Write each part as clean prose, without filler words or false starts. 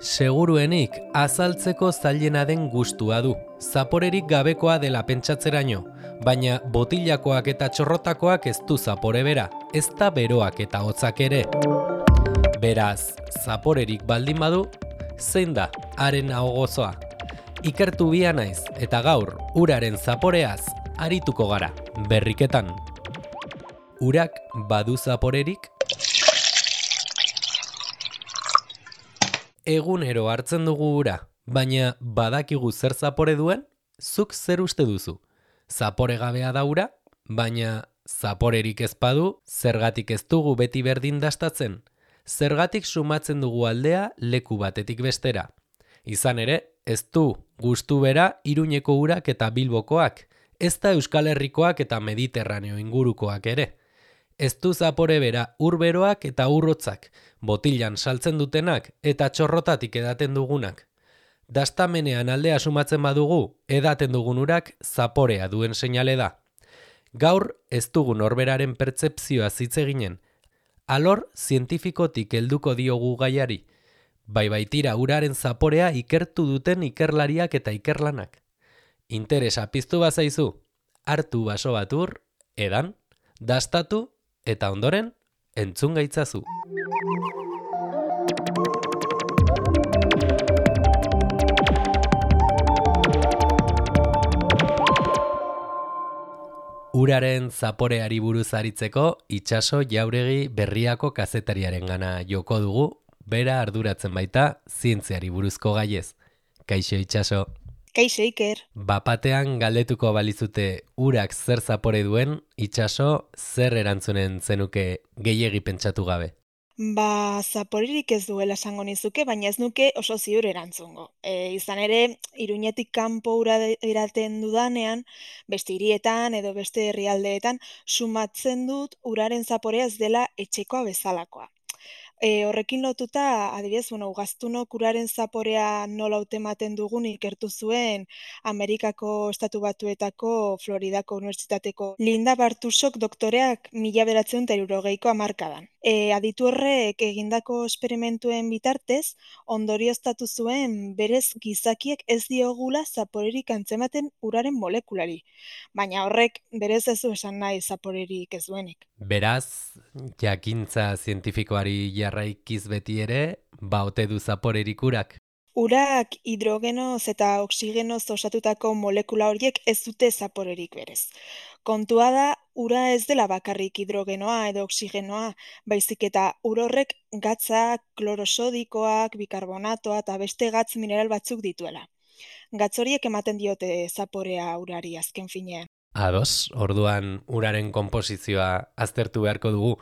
Seguruenik azaltzeko zailena den gustua du, zaporerik gabekoa dela pentsatzeraino, baina botilakoak eta txorrotakoak ez du zapore bera, ez da beroak eta hotzak ere. Beraz, zaporerik baldin badu, zein da haren ahogozoa? Ikertu bia naiz eta gaur uraren zaporeaz arituko gara, berriketan. Urak badu zaporerik? Egunero hartzen dugu ura, baina badakigu zer zapore duen? Zuk zer uste duzu? Zapore gabea da ura, baina zaporerik ez badu, zergatik ez dugu beti berdin dastatzen? Zergatik sumatzen dugu aldea leku batetik bestera? Izan ere, ez du gustu bera Iruñeko urak eta Bilbokoak, ez da Euskal Herrikoak eta Mediterraneo ingurukoak ere. Ez du zapore bera urberoak eta urrotzak, botilan saltzen dutenak eta txorrotatik edaten dugunak. Dastamenean aldea sumatzen badugu, edaten dugun urak zaporea duen seinale da. Gaur ez dugu norberaren pertzepzioa hitz eginen. Alor zientifikotik helduko diogu gaiari. Bai baitira uraren zaporea ikertu duten ikerlariak eta ikerlanak. Interesa piztu bazaizu, hartu baso bat ur, edan, dastatu, eta ondoren, entzun gaitzazu. Uraren zaporeari buruz aritzeko, Itxaso Jauregi Berriako kazetariarengana joko dugu, bera arduratzen baita zientziari buruzko gaiez. Kaixo Itxaso. Kaixo Iker. Bapatean galdetuko balizute urak zer zapore duen, Itxaso zer erantzunen zenuke gehiegi pentsatu gabe? Zaporerik ez duela esango nizuke, baina ez nuke oso ziur erantzungo. Izan ere, Iruñetik kanpo ura eraten dudanean, beste hirietan edo beste herrialdeetan, sumatzen dut uraren zaporea ez dela etxekoa bezalakoa. Horrekin lotuta, adibidez, ugaztunok uraren zaporea nola hautematen dugun ikertu zuen Amerikako Estatu Batuetako Floridako Unibertsitateko Linda Bartusok doktoreak 1960ko hamarkadan. Aditu horrek egindako esperimentuen bitartez, ondorioztatu zuen berez gizakiek ez diogula zaporerik antzematen uraren molekulari. Baina horrek berez ez du esan nahi zaporerik ez duenik. Beraz, jakintza zientifikoari jarraikiz beti ere, ote du zaporerik urak? Urak hidrogenoz eta oxigenoz osatutako molekula horiek ez dute zaporerik berez. Kontua da, ura ez dela bakarrik hidrogenoa edo oxigenoa, baizik eta ur horrek gatzak, klorosodikoak, bikarbonatoa eta beste gatz mineral batzuk dituela. Gatz horiek ematen diote zaporea urari azken finean. Ados, orduan uraren konposizioa aztertu beharko dugu,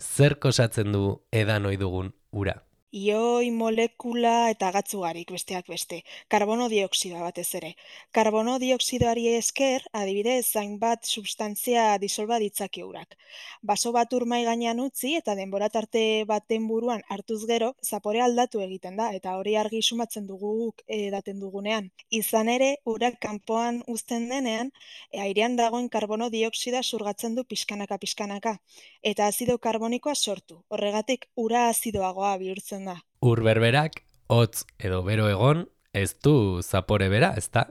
zer osatzen du edan ohi dugun ura? Ioi, molekula eta gatz ugarik besteak beste, karbono dioksidoa batez ere. Karbono dioksidoari esker, adibidez, hainbat substantzia disolba ditzake urak. Baso bat ur mahai gainean utzi eta denbora tarte baten buruan hartuz gero, zaporea aldatu egiten da eta hori argi sumatzen dugu edaten dugunean. Izan ere, urak kanpoan uzten denean, airean dagoen karbono dioksidoa xurgatzen du pixkanaka, eta azido karbonikoa sortu. Horregatik, ura azidoagoa bihurtzen da. Ur berberak, hotz edo bero egon, ez du zapore bera, ezta?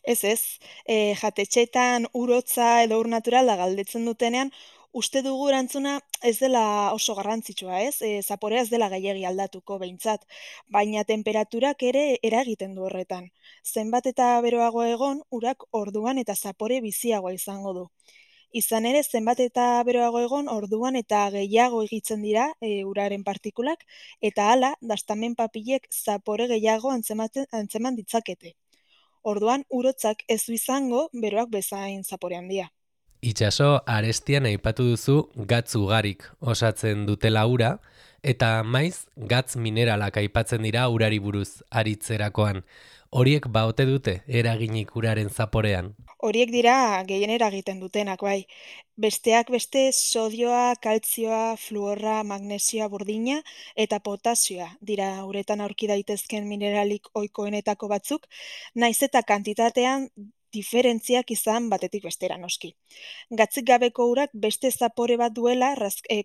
Ez, jatetxeetan ur hotza edo ur naturala galdetzen dutenean, uste dugu erantzuna ez dela oso garrantzitsua, ez? Zaporea ez dela gehiegi aldatuko behintzat, baina temperaturak ere eragiten du horretan. Zenbat eta beroago egon, urak orduan eta zapore biziagoa izango du. Izan ere, zenbat eta beroago egon, orduan eta gehiago egitzen dira uraren partikulak, eta hala, dastamen papilek zapore gehiago antzeman ditzakete. Orduan, urotzak ez du izango, beroak bezain zapore handia. Itxaso, arestian aipatu duzu gatz ugarik osatzen dutela ura, eta maiz gatz mineralak aipatzen dira urari buruz aritzerakoan. Horiek ote dute eraginik uraren zaporean? Horiek dira gehien eragiten dutenak, bai. Besteak beste sodioa, kaltzioa, fluorra, magnesioa, burdina eta potasioa dira uretan aurki daitezken mineralik ohikoenetako batzuk, naiz eta kantitatean diferentziak izan batetik bestera noski. Gatzik gabeko urak beste zapore bat duela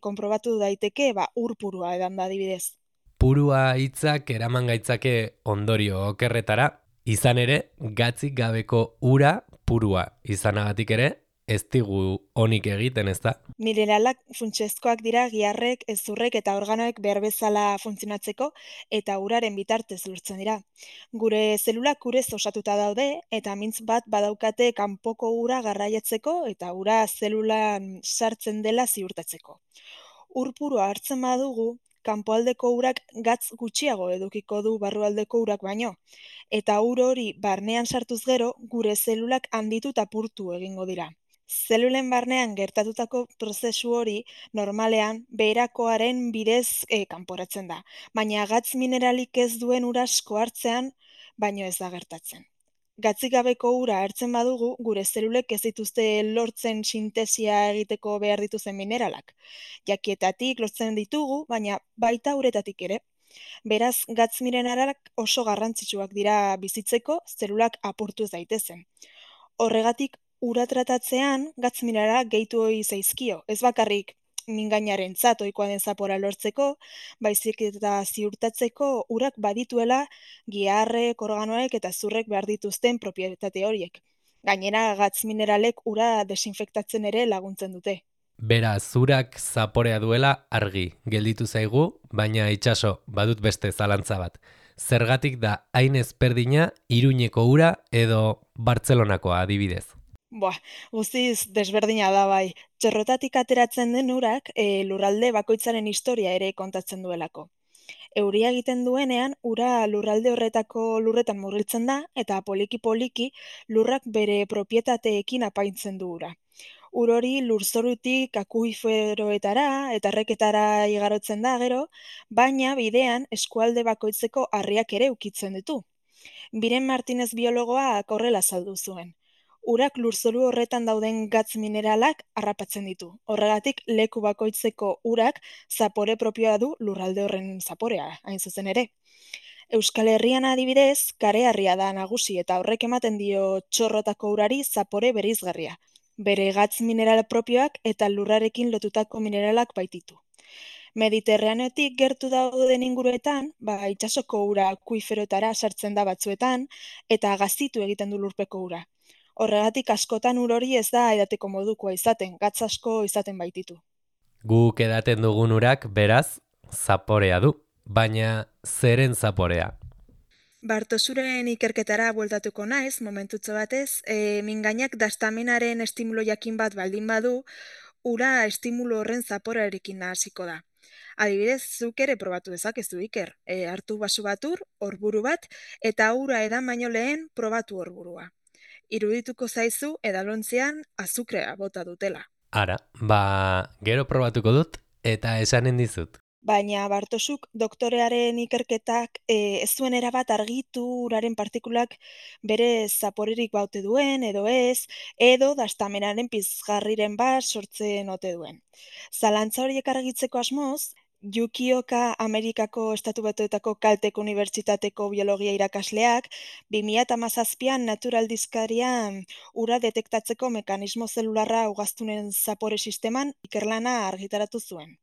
konprobatu daiteke ur purua edan da adibidez. Purua hitzak eraman gaitzake ondorio okerretara, izan ere, gatzik gabeko ura purua izanagatik ere, ez digu onik egiten, ez da? Mineralak funtsezkoak dira giharrek, hezurrek eta organoek behar bezala funtzionatzeko eta uraren bitartez lortzen dira. Gure zelulak urez osatuta daude eta mintz bat badaukate kanpoko ura garraiatzeko eta ura zelulan sartzen dela ziurtatzeko. Ur purua hartzen badugu, kanpoaldeko urak gatz gutxiago edukiko du barrualdeko urak baino, eta ur hori barnean sartuz gero, gure zelulak handitu eta purtu egingo dira. Zelulen barnean gertatutako prozesu hori normalean beherakoaren bidez kanporatzen da, baina gatz mineralik ez duen ura asko hartzean baino ez da gertatzen. Gatzik gabeko ura hartzen badugu, gure zelulek ez dituzte lortzen sintesia egiteko behar dituzen mineralak. Jakietatik lortzen ditugu, baina baita uretatik ere. Beraz, gatz mineralak oso garrantzitsuak dira bizitzeko zelulak apurtu daitezen. Horregatik, ura tratatzean gatz mineralak gehitu ohi zaizkio, ez bakarrik mingainarentzat ohikoa den zapora lortzeko, baizik eta ziurtatzeko urak badituela giharrek, organoek eta zurrek behar dituzten propietate horiek. Gainera, gatz mineralek ura desinfektatzen ere laguntzen dute. Beraz, urak zaporea duela argi gelditu zaigu, baina itxaso, badut beste zalantza bat. Zergatik da hain ezberdina Iruñeko ura edo Bartzelonakoa adibidez? Guztiz desberdina da bai. Txorrotatik ateratzen den urak lurralde bakoitzaren historia ere kontatzen duelako. Euria egiten duenean, ura lurralde horretako lurretan murgiltzen da eta poliki-poliki lurrak bere propietateekin apaintzen du ura. Ur hori lurzorutik akuiferoetara eta erreketara igarotzen da gero, baina bidean eskualde bakoitzeko harriak ere ukitzen ditu. Biren Martinez biologoak horrela azaldu zuen. Urak lurzoru horretan dauden gatz mineralak harrapatzen ditu. Horregatik leku bakoitzeko urak zapore propioa du lurralde horren zaporea, hain zuzen ere. Euskal Herrian adibidez, kareharria da nagusi eta horrek ematen dio txorrotako urari zapore bereizgarria. Bere gatz mineral propioak eta lurrarekin lotutako mineralak baititu. Mediterraneotik gertu dauden inguruetan, itsasoko ura akuiferoetara sartzen da batzuetan eta gazitu egiten du lurpeko ura. Horregatik askotan ur hori ez da edateko modukoa izaten, gatz asko izaten baititu. Guk edaten dugun urak, beraz, zaporea du, baina zeren zaporea? Bartosuren ikerketara bueltatuko naiz, momentutxo batez, mingainak dastamenaren estimulo jakin bat baldin badu, ura estimulo horren zaporarekin hasiko da. Adibidez, zuk ere probatu dezakezu Iker, hartu basu bat ur, horburu bat, eta ura edan baino lehen probatu horburua. Irudituko zaizu edalontzean azukrea bota dutela. Ara, gero probatuko dut eta esanen dizut. Baina Bartosuk doktorearen ikerketak ez zuen erabat argitu uraren partikulak bere zaporerik baute duen edo ez, edo dastamenaren pizgarriren bat sortzen ote duen. Zalantza horiek argitzeko asmoz, Yukioka Amerikako Estatu Batuetako Caltech Unibertsitateko biologia irakasleak 2017an Natural dizkarian ura detektatzeko mekanismo zelularra ugaztunen zapore sisteman ikerlana argitaratu zuen.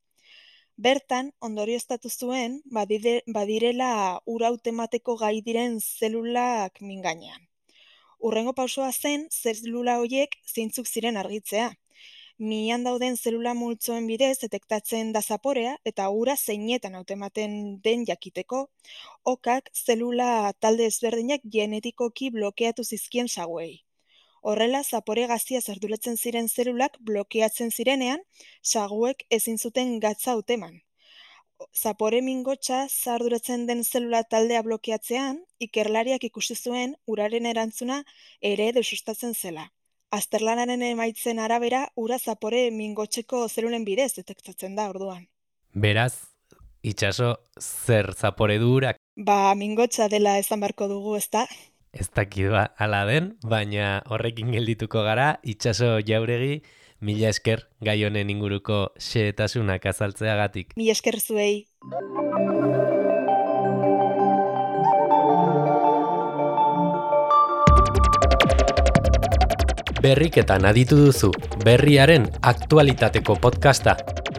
Bertan, ondorioztatu zuen, badirela ura hautemateko gai diren zelulak mingainean. Hurrengo pausoa zen, zelula horiek zeintzuk ziren argitzea. Mian dauden zelula multzoen bidez detektatzen da zaporea eta ura zeinetan hautematen den jakiteko, okak zelula talde ezberdinak genetikoki blokeatu zizkien saguei. Horrela, zapore gazia zerduletzen ziren zelulak blokeatzen zirenean, saguek ezin zuten gatza hauteman. Zapore mingotsa zarduratzen den zelula taldea blokeatzean, ikerlariak ikusi zuen uraren erantzuna ere desustatzen zela. Azterlanaren emaitzen arabera, ura zapore mingotzeko zelulen bidez detektatzen da orduan. Beraz, itxaso zer zapore du urak? Mingotsa dela esan barko dugu, ezta? Ez dakidua ala den, baina horrekin geldituko gara, itxaso Jauregi, mila esker gai honen inguruko xehetasunak azaltzeagatik. Mila esker zuei. Berriketan aditu duzu, berriaren aktualitateko podcasta,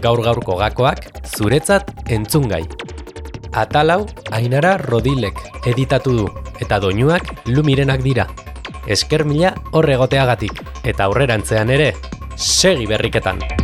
gaur-gaurko gakoak zuretzat entzungai. Atalau Ainara Rodilek editatu du, eta doinuak Lumirenak dira. Esker mila hor egoteagatik, eta aurrerantzean ere, segi berriketan!